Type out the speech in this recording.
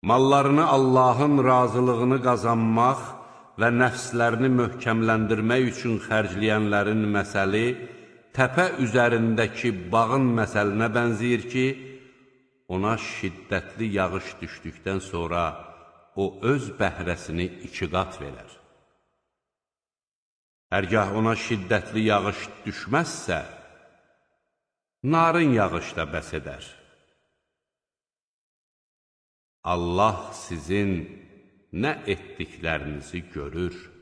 Mallarını Allahın razılığını qazanmaq və nəfslərini möhkəmləndirmək üçün xərcləyənlərin məsəli təpə üzərindəki bağın məsəlinə bənzəyir ki, ona şiddətli yağış düşdükdən sonra o öz bəhrəsini 2 qat verər. Hərgah ona şiddətli yağış düşməzsə, narın yağış da bəs edər. Allah sizin nə etdiklərinizi görür.